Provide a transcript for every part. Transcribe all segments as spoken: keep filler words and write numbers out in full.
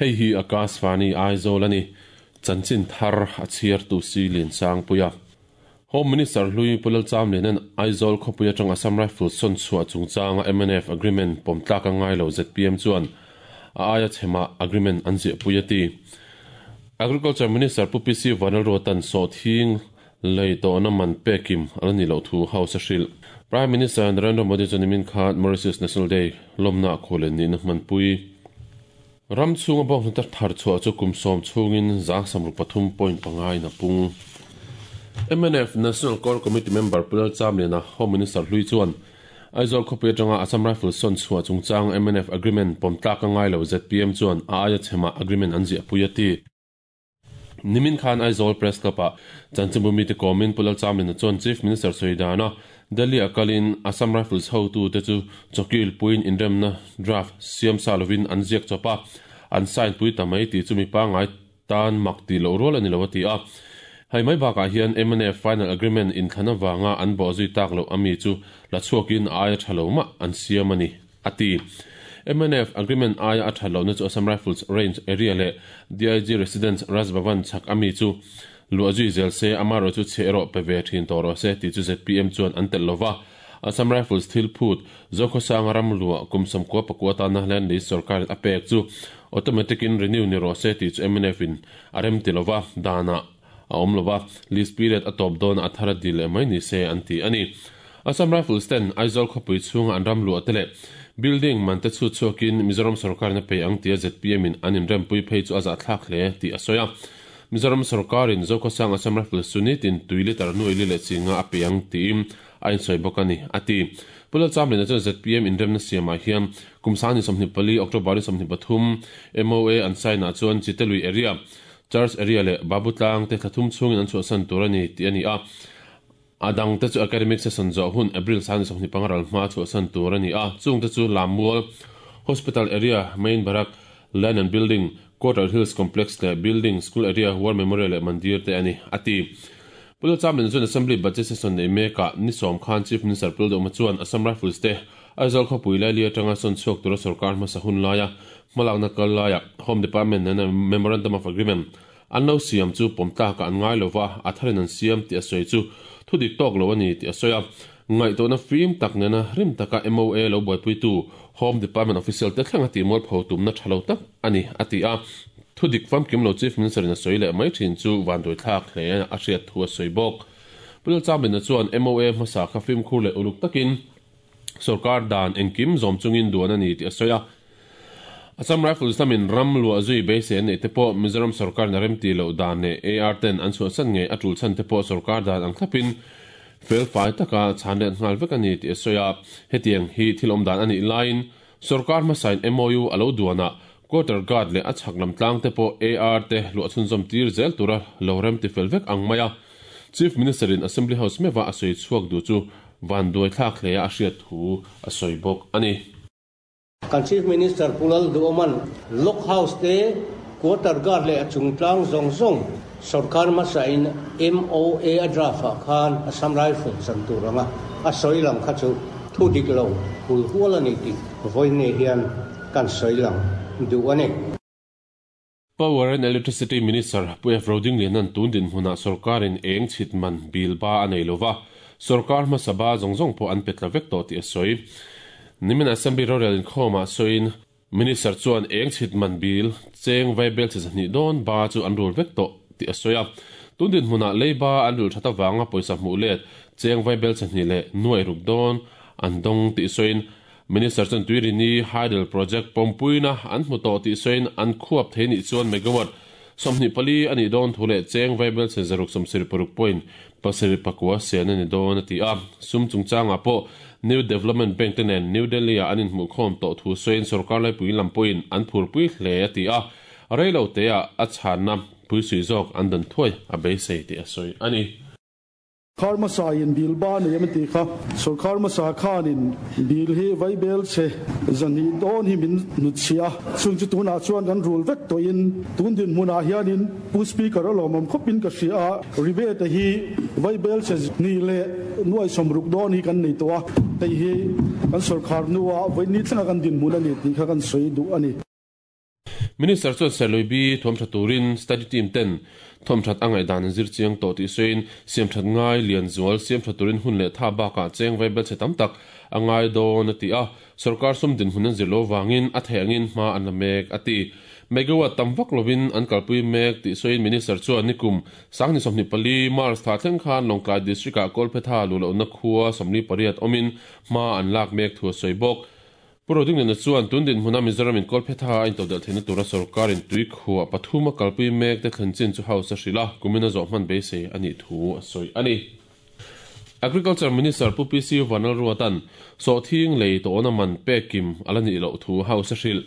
Hei hi Akashvani Aizawl ani chanchin thar a chhiar tu si lin sang puia Home Minister Hlui Pulal Chamlian Aizawl khawpui atanga Assam Rifles sawn chhuah chungchanga M N F agreement pawm tlak a ngai lo Z P M chuan a aia chhema agreement an ziah pui a ti. Agriculture Minister Pu P C Vanlalruatan sawhthing lei tawhna man pekim ala ni loh thu House a hrilh. Prime Minister Narendra Modi chuan nimin khan Mauritius National Day lawmna khualen nihna hmanpui. Ram chhunga bawng hna thar chhuah chu kum sawm chhungin za samru pathum point pangai na pung. M N F National Core Committee member Pulal Chamliana Home Minister Hlui chuan Aizawl khawpui atanga Assam Rifles sawn chhuah chungchang M N F agreement pawm tlak a ngai lo Z P M chuan a aia chhema agreement an ziah pui a ti. Nimin Khan Aizawl Press Club a chanchinbumi te kawmin Pulal Chamliana chuan Chief Minister Soidana Delhi akalin Assam Rifles ho tu te chu chokil puin inremna draft siam salovin an ziak chawpa an sign pui tamai ti chumi pa ngai tan mak ti lo rol ani lo ti a. Hai mai bakah hian M N F final agreement in thlana wanga an bo zui tak lo ami chu la chhuakin aia thalo ma an siam ani ati. M N F agreement aia a thalo na chu Assam Rifles range area le D I G residence Raj Bhavan chak ami chu luazui zel se amaro chu chero pe ve thin toro se ti chu Z P M chuan an tel lova. Assam Rifles thil phut zokhosang ram lua kumsam ko pakwa ta na hlen ni sarkar a pek chu automatic in renew ni ro se ti chu M N F in arem tilova dana a awm lova list period a top dawn a thara dil mai ni se an ti ani. Assam Rifles ten Aizawl khawpui chhunga an ram lua tele building man te chu chuakin Mizoram sarkar na pe ang tia Z P M in an inrem pui phei chu aza thlak hle ti a sawi a. Mizoram sarkar in Zokhosang Assam Rifles sunit in tui litre nuai li leh chinga a pe ang tiin a insawi bawk ani ati. Pulal Chamliana chuan Z P M inremna siamah hian kumsani sawmhnih pali October ni sawmhnih pathum M O A an sign ah chuan Chitalui area Church area le Babutlang te thlathum chhungin an chhuahsan tur ani ti ani a. Adang te chu academic session zawh hun April sani sawmhnih pangaral hma chhuahsan tur ani a. Chung te chu Lammual Hospital area Main Barak Land and Building Quarter Hills Complex le Building School area War Memorial le Mandir te ani ati. Pulal Chamliana chuan Assembly Budget Session nei meka ni sawm khan Chief Minister Pulal Doma chuan Assam Rifles te Aizawl khawpui lai li atanga sawn chhuak tura sarkar hmasa hun laia hmalakna kal laia Home Department nena Memorandum of Agreement an lo siam chu pawm tlaka an ngai lova a tharin an siam ti a sawi chu thudik tawk lo ani ti a sawi a. Ngaihtuahna fim tak nena rim taka M O A lo buaipui tu Home Department official te thleng a ti mual pho tumna thalo tak ani ati a. Thudik famkim lo Chief Minister in a sawi leh mai thin chu vanduai thlak hle a hriat thu a sawi bawk. Pulal Chamliana chuan M O A hmasa kha fim khur leh uluk takin sarkar dan engkim zawm chungin duan ani ti a sawi a. Assam Rifles lamin ram lua zui beisei an nei te pawh Mizoram sarkar na rem ti lo dan leh A R ten an chhuahsan ngei a tul chhan te pawh sarkar dan ang thlapin fel fai taka chhan leh nghal vek ani ti a sawi a. Hetiang hi thil awm dan ani laiin sarkar hmasain M O U alo duana quarter guard leh a chhak lam tlang te pawh A R te luah chhunzawm tir zel tura lo rem ti fel vek ang mai a. Chief Minister in Assembly House mewa a sawi chhuak du chu vanduai thlak hle a hriat thu a sawi bawk ani. Kan Chief Minister Pulal Duoman Lock House te quarter guard le chungtlang zong zong sarkar masa in M O A draft khan Assam Rifles san turanga a soilang kha chu thu dik lo hul hual ani ti voine hian kan soilang du ani. Power and Electricity Minister Pu F Roding Lianan tun din hmuna sarkarin eng chhitman bil ba anei lova sarkar hmasaba zong zong pawh an petla vek tawh ti a sawi. Nimin Assembly Royal in khawmah sawiin Minister chuan eng chhitman bil cheng vaibel chi zahnih dawn ba chu an rul vek tawh ti a sawi a. Tun din hmuna leiba an rul thata wanga pawisa hmuh let cheng vaibel chahnih leh nuai ruk dawn an dawng ti sawiin Minister chuan Tuirini Hydel Project pawmpuina an hmu tawh ti sawiin an khuap thei ni chuan megawatt sawmhnih pali ani dawn thu leh cheng vaibel che zaruk sawmsarih paruk point pasarih pakua sen ani dawn a ti a. Sum chungchangah pawh New Development Bank te nen New Delhi a an inhmuh khawm tawh thu sawiin sarkar laipui lam pawhin an phurpui hle a ti a. Reilo te a a chhanna pui sui zawk an dan thuai a beisei ti a sawi ani. Kharmasa in bilba ne yamti kha sarkar masa khan in bil hi vaibel che zani don hi min nuchia chung chu tuna chuan kan rule vek to in tun din hmuna hian in pu speaker alomam khopin ka hria rebate hi vaibel che ni le nuai somruk don hi kan nei to a tei hi kan sarkar nuwa vaini thlanga kan din hmuna ni ti kha kan soi du ani. Minister chuan Serlui B thuam tha turin study team ten thuam that angai dan zir chiang to ti soin siam that ngai lian zual siam tha turin hun le tha ba ka cheng vai bel che tam tak angai do na ti a sarkar sum din hunan zirlo wangin a thengin ma an la mek ati megawatt tamvak lovin an kalpui mek ti soin minister chuan nikum sangni somni pali mars tha thleng khan Lawngtlai district a Kolphetha lulo na khua somni pariat omin ma an lak mek thu soibok Puroding na chuan tundin huna Mizoram in Kolphetha in todel thena tura sarkar in tui khua pathuma kalpui mek te thlenchin chu house hrila kumina zo man be se ani thu soi ani Agriculture Minister Pu P C Vanlalruatan so thing lei to na man pekim alani lo thu house hril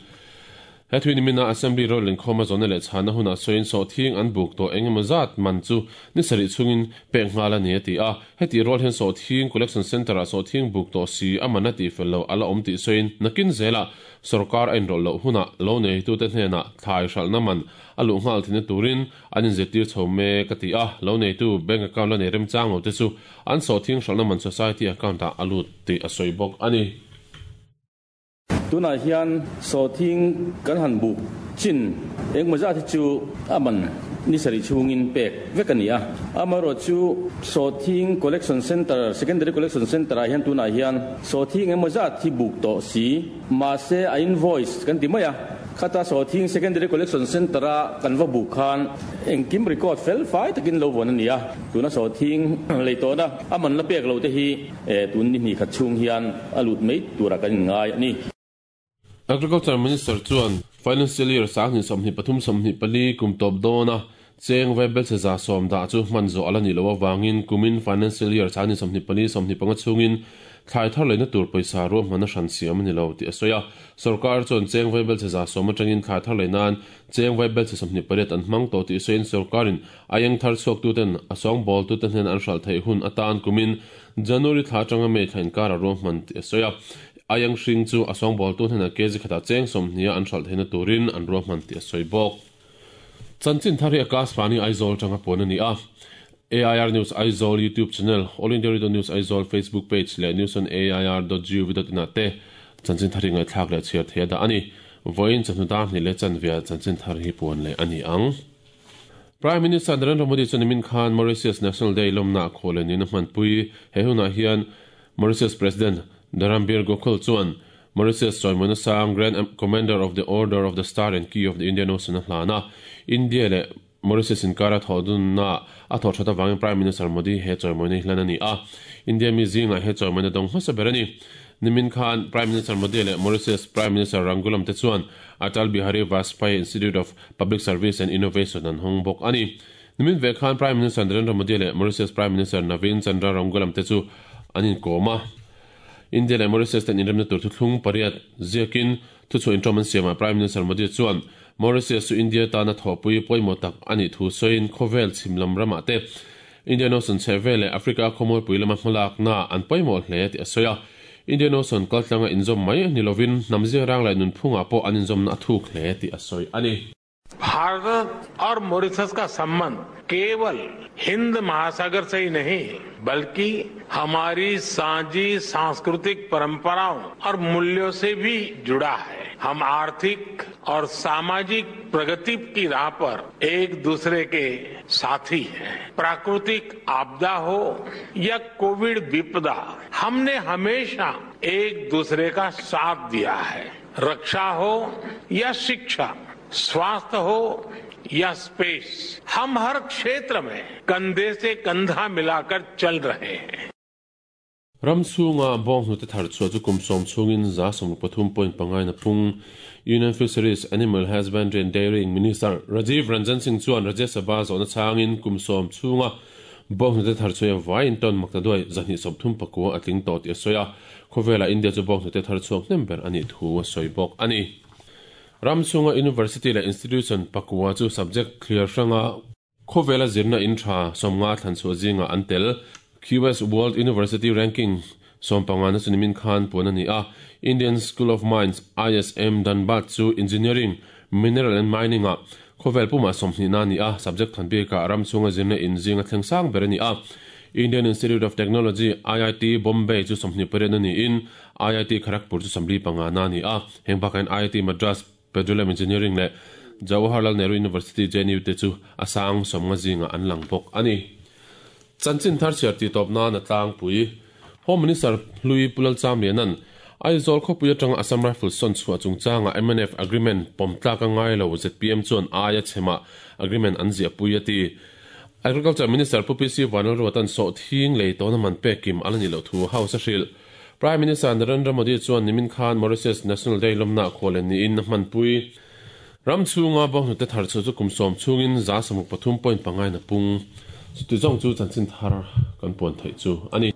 Hetwin mina assembly rol in khoma zone le chana huna soin so thing an buk to engemazat man chu ni sari chungin penghala ni ati a heti rol hen so thing collection center a so thing buk to si amana ti fello ala om ti soin nakin zela sarkar ain rol lo huna lo nei tu te hna thai shal na man alu ngal thin turin anin zetir chome kati a lo nei tu bank account la nei rem chang lo te chu an so thing shal na man society account a alu ti a soibok ani Tuna hian so thing kan han bu chin eng ma za thi chu aman ni sari chungin pek vekania amaro chu so thing collection center secondary collection center a hian tuna hian so thing eng ma za thi buk to si ma se a invoice kan ti maya khata so thing secondary collection center a kan va bu khan eng kim record fel fai takin lo von ania tuna so thing leito na aman la pek lo te hi e tun ni ni khat chung hian alut mei tura kan ngai ani Agriculture Minister chuan financial year sangni somni pathum somni pali kum top dona cheng webel se za som da chu manzo alani lo wangin kumin financial year sangni somni pali somni panga chungin thlai thar leina tur paisa ro mana shan siam ani lo ti asoya sarkar chuan cheng webel se za som atangin thlai thar leinan cheng webel se somni pariat an hmang to ti soin sarkarin ayang thar chok tu ten asong bol tu ten an hral thei hun atan kumin January thla tanga me thlain kar ro man ti asoya ayang hring chu asong bol tu hna kg khata cheng som nia an hral theina turin an ro man ti soibok chanchin thari akas fani Aizawl tanga pon ani a A I R News Aizawl YouTube channel All India Radio News Aizawl Facebook page le news on A I R dot gov dot in te chanchin thari ngai thak le chiar thea da ani voin chanu da ni le chanvia chanchin thari hi pon le ani ang Prime Minister Narendra Modi chuan khan Mauritius National Day lomna khole ni na man pui he huna hian Mauritius President Dharambir Gokul chuan Mauritius Choimona Sang Grand Commander of the Order of the Star and Key of the Indian Ocean hlana India le Mauritius in kara thodun na a thor thata wangin Prime Minister Modi he choimona hlana ni a India mi zinga he choimona dong hmasa berani nimin khan Prime Minister Modi le Mauritius Prime Minister Ramgoolam te chuan Atal Bihari Vajpayee Institute of Public Service and Innovation an hongbok ani nimin ve khan Prime Minister Narendra Modi le Mauritius Prime Minister Navin Chandra Ramgoolam te chu anin koma India le Mauritius ten inremna tur thuthlung pariat ziakin thu chu introman siama Prime Minister Modi chuan Mauritius chu India tana thopui poimo tak ani thu soin khovel chimlam rama te Indian Ocean chevele Africa khomoi puilama hmalak na an poimo hle ti asoya Indian Ocean kaltlanga inzom mai nilovin namzia rang lai nun phunga po an inzom na thuk hle ti asoi ani Bharat और Mauritius का संबंध केवल हिंद महासागर से ही नहीं बल्कि हमारी साझी सांस्कृतिक परंपराओं और मूल्यों से भी जुड़ा है। हम आर्थिक और सामाजिक प्रगति की राह पर एक दूसरे के साथी हैं। प्राकृतिक आपदा हो या कोविड विपदा, हमने हमेशा एक दूसरे का साथ दिया है। रक्षा हो या शिक्षा, स्वास्थ्य हो या स्पेस, हम हर क्षेत्र में कंधे से कंधा मिलाकर चल रहे हैं। Ramchunga bong hnute thar chu chu kumsom chungin za som pathum point pangai na pung Union Fisheries Animal Husbandry and Dairy Minister Rajiv Ranjan Singh chuan Rajya Sabha zona changin kumsom chunga bong hnute thar chu vain ton makta doi zani som thum pakua atling to ti soya khovela India chu bong hnute thar chuak nember ani thu soibok ani Ramchunga University la institution pakua chu subject clear sanga khovela zirna intra somnga than chu zinga antel Q S World University Ranking sompanga na chunimin khan ponani a Indian School of Mines I S M Dhanbad chu Engineering Mineral and Mining a khovel puma somhni na ni a subject than bi ka ramchunga zirna in zinga thlengsang berani a Indian Institute of Technology I I T Bombay chu somhni paren ani in I I T Kharagpur chu samli panga na ni a hengbakan I I T Madras Petroleum Engineering le Jawaharlal Nehru University J N U te chu a sang sawmnga zinga an lang bawk ani. Chanchin thar chhiar ti tawp nan a tlangpui. Home Minister hlui Pu Lalchamlianan Aizawl khawpui atanga Assam Rifles sawn chhuah chungchanga M N F agreement pawm tlak a ngai lo, Z P M chuan aia chhema agreement an ziah pui a ti. Agriculture Minister Pu P C Vanlalruatan sawhthing lei tawna man pek kim ala ni loh thu House a hrilh. Prime Minister Narendra Modi chuan nimin khan Mauritius National Day lawmna khualen niin a hmanpui. Ram chhunga bawnghnute thar chu chu kum sawm chhungin za sawmuk pathum point pangai na pung. Chuti zawng chu chanchin thar kan puan theih chu ani.